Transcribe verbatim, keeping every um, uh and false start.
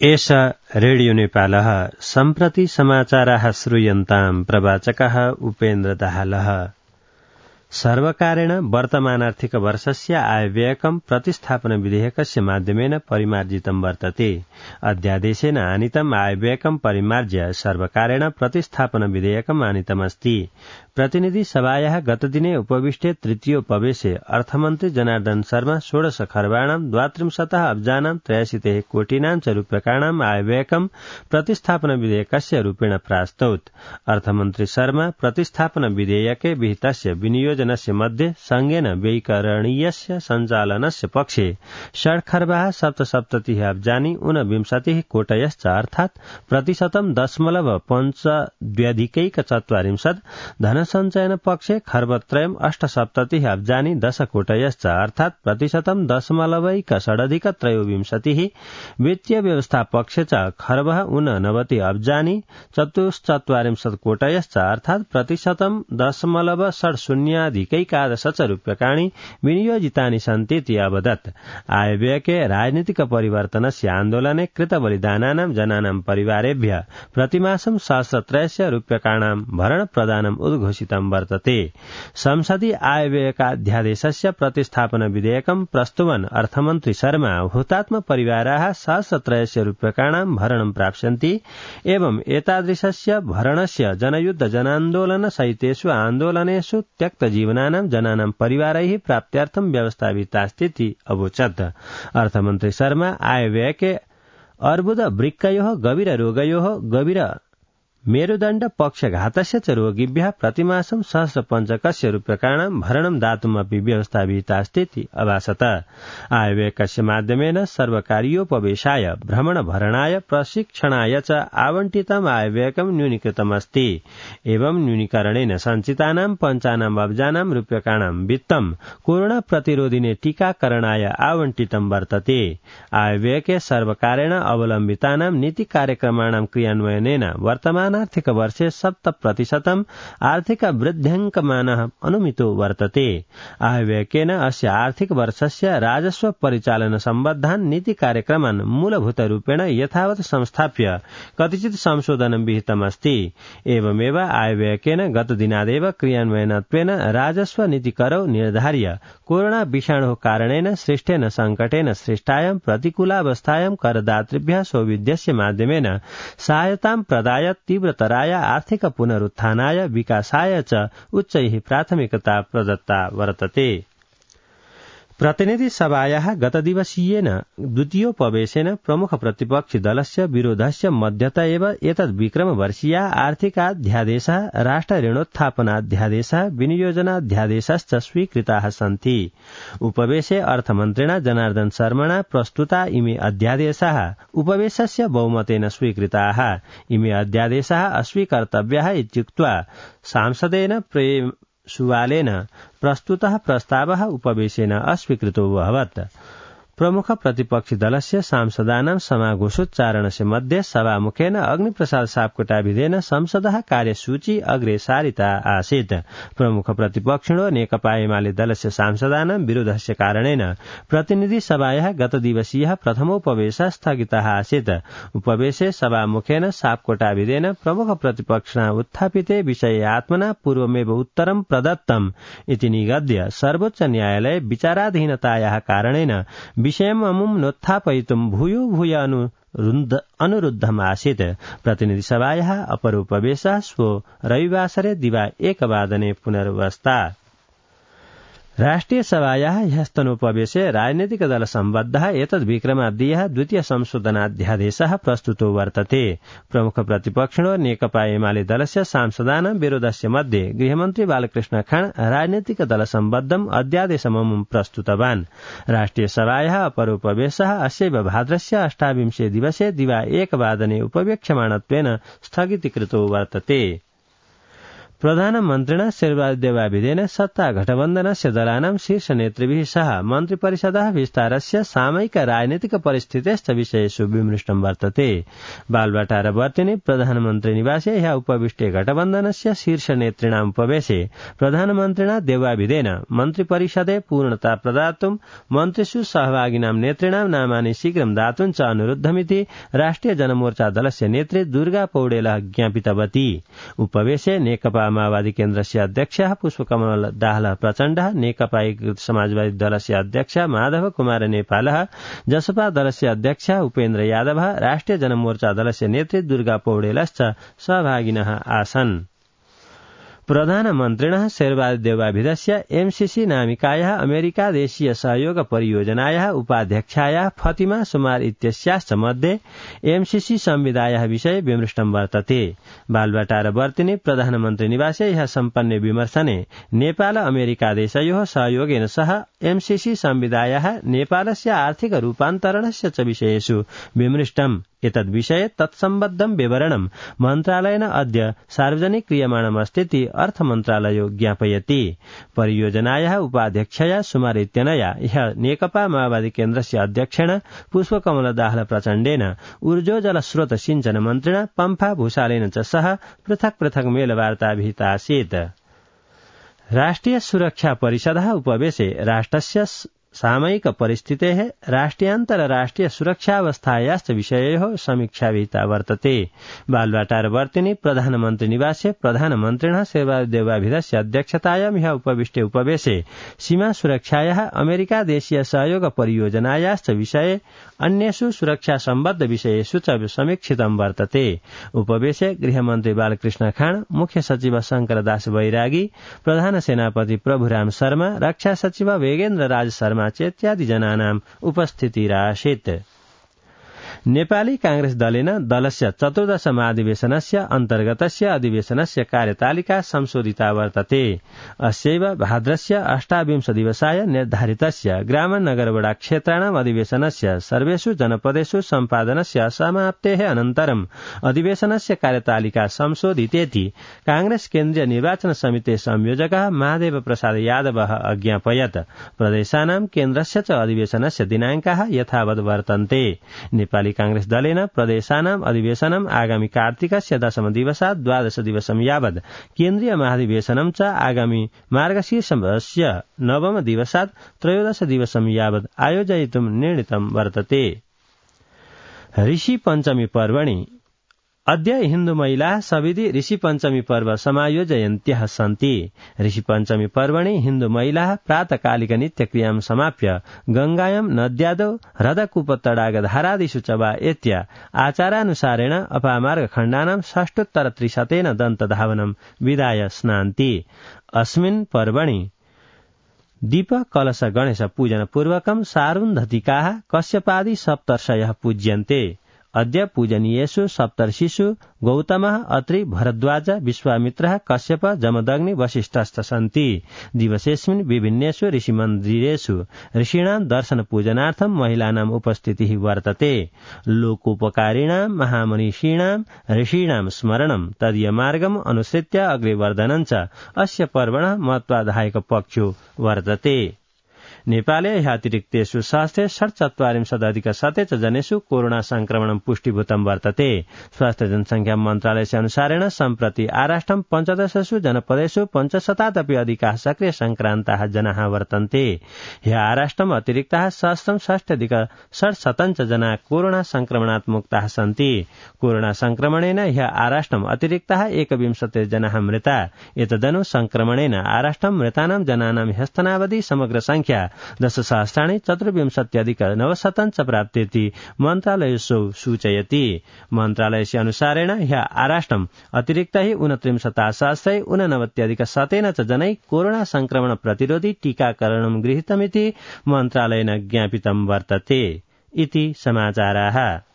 एष रेडियो नेपालः सम्प्रति समाचाराः श्रूयन्ताम् प्रवाचकः उपेन्द्र दाहालः। सर्वकारेण वर्तमानार्थिक वर्षस्य आयव्ययकं प्रतिस्थापन विधेयकस्य माध्यमेन परिमार्जितं वर्तते। अध्यादेशेन आनीतम् आयव्ययकं परिमार्ज्य सर्वकारेण प्रतिस्थापन विधेयकम् आनीतमस्ति। प्रतिनिधि सभायाः गतदिने उपविष्टे तृतीयोपवेशे अर्थमन्त्री जनार्दन शर्मा षोडश खर्बाणां द्वात्रिंशतः अब्जानां त्रयाशीतिः कोटिनां च रूप्यकाणां आयव्ययकं प्रतिस्थापन विधेयकस्य रूपेण प्रास्तौत्। अर्थमन्त्री शर्मा प्रतिस्थापन विधेयके विहितस्य विनियोजनस्य मध्ये संघेन व्ययीकरणीयस्य सञ्चालनस्य पक्षे षड्खर्बाः सप्तसप्ततिः अब्जानि ऊनविंशतिः कोटयश्च अर्थात् प्रतिशतं दशमलव पञ्चद्व्यधिकैकचत्वारिंशत् धनसञ्चयन पक्षे खर्बत्रयम् अष्टसप्ततिः अब्जानि दश कोटयश्च अर्थात् प्रतिशतं दशमलवैक षडधिक त्रयोविंशतिः वित्तीय व्यवस्था पक्षे च खर्बः ऊननवति अब्जानि चतुश्चत्वारिंशत् कोटयश्च अर्थात् प्रतिशतं दशमलव षड् शून्याधिकैकादश च रूप्यकाणि विनियोजितानि सन्तीति अवदत्। आयव्ययके राजनीतिक परिवर्तनस्य आन्दोलने कृतबलिदानानां जनानां परिवारेभ्यः प्रतिमासं सहस्रत्रयस्य रूप्यकाणां भरण प्रदानम् उद्घोषितं वर्तते। संसदि आयव्ययकाध्यादेशस्य प्रतिस्थापन विधेयकं प्रस्तुवन् अर्थमन्त्री शर्मा हुतात्म परिवाराः सहस्रत्रयस्य रूप्यकाणां भरणं प्राप्स्यन्ति एवं एतादृशस्य भरणस्य जनयुद्ध जनान्दोलन सहितेषु आन्दोलनेषु त्यक्तजीवनानां जनानां परिवारैः प्राप्त्यर्थं व्यवस्था विहितास्तीति अवोचत्। अर्थमन्त्री शर्मा आयव्ययके अर्बुद वृक्कयोः गभीर रोगयोः गभीर मेरुदण्ड पक्षघातस्य च रोगिभ्यः प्रतिमासं सहस्रपञ्चकस्य रूप्यकाणां भरणं दातुमपि व्यवस्था विहितास्तीति अभासत। आयव्ययकस्य माध्यमेन सर्वकारीयोपवेशाय भ्रमणभरणाय प्रशिक्षणाय च आवंटितम् आयव्ययकं न्यूनीकृतमस्ति। एवं न्यूनीकरणेन सञ्चितानां पञ्चानाम् अब्जानां रूप्यकाणां वित्तं कोरोना प्रतिरोधिने टीकाकरणाय आवंटितं वर्तते। आयव्ययके सर्वकारेण अवलम्बितानां नीति कार्यक्रमाणां क्रियान्वयनेन वर्तमान आर्थिक वर्षे सप्त प्रतिशतम् आर्थिक वृद्ध्यङ्कमानः अनुमितो वर्तते। आयव्ययकेन अस्य आर्थिक वर्षस्य राजस्व परिचालन सम्बद्धान् नीति कार्यक्रमान् मूलभूतरूपेण यथावत् संस्थाप्य कतिचित् संशोधनं विहितमस्ति। एवमेव आयव्ययकेन गतदिनादेव क्रियान्वयनत्वेन राजस्व नीतिकरौ निर्धार्य कोरोना विषाणोः कारणेन सृष्टेन संकटेन सृष्टायां प्रतिकूलावस्थायां करदातृभ्यः सौविध्यस्य माध्यमेन सहायतां प्रदाय तीव्रतराय आर्थिक पुनरुत्थानाय विकासाय च उच्चैः प्राथमिकता प्रदत्ता वर्तते। प्रतिनिधि सभायाः गतदिवसीयेन द्वितीयोपवेशेन प्रमुख प्रतिपक्षि दलस्य विरोधस्य मध्यतः एव एतद् विक्रमवर्षीया आर्थिकाध्यादेशः राष्ट्र ऋणोत्थापनाध्यादेशः विनियोजनाध्यादेशश्च स्वीकृताः सन्ति। उपवेशे अर्थमन्त्रिणा जनार्दन शर्मणा प्रस्तुता इमे अध्यादेशाः उपवेशस्य बहुमतेन स्वीकृताः। इमे अध्यादेशाः अस्वीकर्तव्याः इत्युक्त्वा सांसदेन प्रेम सुवालेन प्रस्तुतः प्रस्तावः उपवेशेन अस्वीकृतो अभवत्। प्रमुख प्रतिपक्षि दलस्य सांसदानां समाघोषोच्चारणस्य मध्ये सभामुखेन अग्निप्रसाद सापकोटाभिधेन संसदः कार्यसूची अग्रे सारिता आसीत्। प्रमुख प्रतिपक्षिणो नेकपा एमाले दलस्य सांसदानां विरोधस्य कारणेन प्रतिनिधि सभायाः गतदिवसीयः प्रथमोपवेशः स्थगितः आसीत्। उपवेशे सभामुखेन सापकोटाभिधेन प्रमुख प्रतिपक्षिणा उत्थापिते विषये आत्मना पूर्वमेव उत्तरं प्रदत्तम् इति निगद्य सर्वोच्च न्यायालये विचाराधीनतायाः कारणेन विषयम् अमुम् नोत्थापयितुं भूयो भूय अनुरुद्धमासीत्। प्रतिनिधिसभायाः अपरोपवेशः श्वो रविवासरे दिवा एकवादने पुनर्वस्था। राष्ट्रिय सभायाः ह्यस्तनोपवेशे राजनीतिक दल सम्बद्धः एतद् विक्रमाब्दीयः द्वितीय संशोधनाध्यादेशः प्रस्तुतो वर्तते। प्रमुख प्रतिपक्षिणो नेकपा एमाले दलस्य सांसदानां विरोधस्य मध्ये गृहमन्त्री बालकृष्ण खान राजनीतिक दल सम्बद्धम् अध्यादेशममुं प्रस्तुतवान्। राष्ट्रिय सभायाः अपरोपवेशः अस्यैव भाद्रस्य अष्टाविंशे दिवसे दिवा एकवादने उपवेक्ष्यमाणत्वेन स्थगितीकृतो वर्तते। प्रधानमन्त्रिणा शेरबहादुरदेवाभिधेन सत्ता गठबन्धनस्य दलानां शीर्षनेतृभिः सह मन्त्रिपरिषदः विस्तारस्य सामयिक राजनीतिक परिस्थितेश्च विषयेषु विमृष्टं वर्तते। बालवाटारवर्तिनि प्रधानमन्त्री निवासे ह्यः उपविष्टे गठबन्धनस्य शीर्षनेतॄणाम् उपवेशे प्रधानमन्त्रिणा देवाभिधेन मन्त्रिपरिषदे पूर्णता प्रदातुं मन्त्रिषु सहभागिनां नेतॄणां नामानि शीघ्रं दातुं च अनुरुद्धमिति राष्ट्रिय जनमोर्चा दलस्य नेत्री दुर्गा पौडेलः ज्ञापितवती। उपवेशे नेकपा माओवादी केन्द्रस्य अध्यक्षः पुष्पकमल दाहाल प्रचण्डः, नेकपा एकीकृत समाजवादी दलस्य अध्यक्षः माधव कुमार नेपालः, जसपा दलस्य अध्यक्षः उपेन्द्र यादवः, राष्ट्रिय जनमोर्चा दलस्य नेत्री दुर्गा पौडेलश्च सहभागिनः आसन्। प्रधानमन्त्रिणः शेरबहादुरदेवाभिधस्य एमसीसी नामिकायाः अमेरिकादेशीय सहयोग परियोजनायाः उपाध्यक्षायाः फतिमा सुमार इत्यस्याश्च मध्ये एमसीसी संविदायाः विषये विमृष्टं वर्तते। बालवाटारवर्तिनि प्रधानमन्त्री निवासे ह्यः सम्पन्ने विमर्शने नेपाल अमेरिकादेशयोः सहयोगेन सह एमसीसी संविदायाः नेपालस्य आर्थिक रूपान्तरणस्य च विषयेषु विमृष्टम्। एतद्विषये तत्सम्बद्धं विवरणं मन्त्रालयेन अद्य सार्वजनिक क्रियमाणमस्तीति अर्थमन्त्रालयो ज्ञापयति। परियोजनायाः उपाध्यक्षया सुमार इत्यनया ह्यः नेकपा माओवादी केन्द्रस्य अध्यक्षेण पुष्पकमल दाहाल प्रचण्डेन ऊर्जोजल स्रोत सिंचन मन्त्रिणा पम्फा भूषालेन च सह पृथक् पृथक् मेलवार्ता विहिता आसीत्। राष्ट्रिय सुरक्षा परिषदः उपवेशे राष्ट्रस्य सामयिक परिस्थितेः राष्ट्रियान्तरराष्ट्रिय सुरक्षावस्थायाश्च विषययोः समीक्षा विहिता वर्तते। बालवाटारवर्तिनि प्रधानमन्त्री निवासे प्रधानमन्त्रिणः शेरबहादुरदेवाभिधस्य अध्यक्षतायां ह्यः उपविष्टे उपवेशे सीमा सुरक्षायाः अमेरिकादेशीय सहयोग परियोजनायाश्च विषये अन्येषु सुरक्षा सम्बद्ध विषयेषु च समीक्षितं वर्तते। उपवेशे गृहमन्त्री बालकृष्ण खाँड, मुख्य सचिव शंकरदास बैरागी, प्रधान सेनापति प्रभुराम शर्मा, रक्षा सचिव वेगेन्द्र राज शर्मा इत्यादि जनानाम् उपस्थितिरासीत्। नेपाली कांग्रेस दलेन दलस्य चतुर्दश महाधिवेशनस्य अन्तर्गतस्य अधिवेशनस्य कार्यतालिका संशोधिता वर्तते। अस्यैव भाद्रस्य अष्टाविंश दिवसाय निर्धारितस्य ग्राम नगरवडा क्षेत्राणाम् अधिवेशनस्य सर्वेषु जनपदेषु सम्पादनस्य समाप्तेः अनन्तरम् अधिवेशनस्य कार्यतालिका संशोधितेति कांग्रेस केन्द्रीय निर्वाचन समितेः संयोजकः महादेव प्रसाद यादवः अज्ञापयत्। प्रदेशानां केन्द्रस्य च अधिवेशनस्य दिनाङ्काः यथावत् वर्तन्ते। नेपाली कांग्रेस दलेन प्रदेशानाम् अधिवेशनम् आगामी कार्तिकस्य दशम दिवसात् द्वादश दिवसं यावत्, केन्द्रीय महाधिवेशनं च आगामी मार्गशीर्षस्य नवम दिवसात् त्रयोदश दिवसं यावत् आयोजयितुं निर्णीतं वर्तते। ऋषि पञ्चमी पर्वणि अद्य हिन्दू महिलाः सविधि ऋषि पञ्चमी पर्व समायोजयन्त्यः सन्ति। ऋषि पञ्चमी पर्वणि हिन्दू महिलाः प्रातःकालिक नित्यक्रियां समाप्य गंगायां नद्यादौ ह्रदकूपतडागधारादिषु च वा एत्य आचारानुसारेण अपामार्ग खण्डानां षष्टोत्तर त्रिशतेन दन्तधावनं विधाय स्नान्ति। अस्मिन् पर्वणि दीप कलश गणेश पूजन पूर्वकं सारुन्धतिकाः कश्यपादि सप्तर्षयः पूज्यन्ते। अद्य पूजनीयेषु सप्तर्षिषु गौतमः, अत्रि, भरद्वाज, विश्वामित्रः, कश्यप, जमदग्नि, वसिष्ठश्च सन्ति। दिवसेऽस्मिन् विभिन्नेषु ऋषिमन्दिरेषु ऋषीणां दर्शन पूजनार्थं महिलानाम् उपस्थितिः वर्तते। लोकोपकारिणां महामनीषीणां ऋषीणां स्मरणं तदीयमार्गम् अनुसृत्य अग्रे वर्धनं च अस्य पर्वणः महत्वाधायक पक्षो वर्तते। नेपाले ह्यतिरिक्तेषु सहस्रे षट्चत्वारिंशदधिक शते च जनेषु कोरोना संक्रमणं पुष्टिभूतं वर्तते। स्वास्थ्य जनसंख्या मन्त्रालयस्य अनुसारेण सम्प्रति आराष्ट्रं पञ्चदशसु जनपदेषु पञ्चशतादपि अधिकाः सक्रिय संक्रान्ताः जनाः वर्तन्ते। ह्य आराष्ट्रम् अतिरिक्ताः सहस्रं षष्ट्यधिक षट्शतं च जनाः कोरोना संक्रमणात् मुक्ताः सन्ति। कोरोना संक्रमणेन ह्य आराष्ट्रम् अतिरिक्ताः एकविंशतिः जनाः मृता। एतदनु संक्रमणेन आराष्ट्रं मृतानां जनानां ह्यस्तनावधि समग्र संख्या दशसहस्राणि चतुर्विंशत्यधिक नवशतं च प्राप्तेति मन्त्रालयसौ सूचयति। मन्त्रालयस्य अनुसारेण ह्य आराष्ट्रम् अतिरिक्तैः ऊनत्रिंशत्सहस्रै ऊननवत्यधिक शतेन च जनैः कोरोना संक्रमण प्रतिरोधि टीकाकरणं गृहीतमिति मन्त्रालयेन ज्ञापितं वर्तते। इति समाचाराः।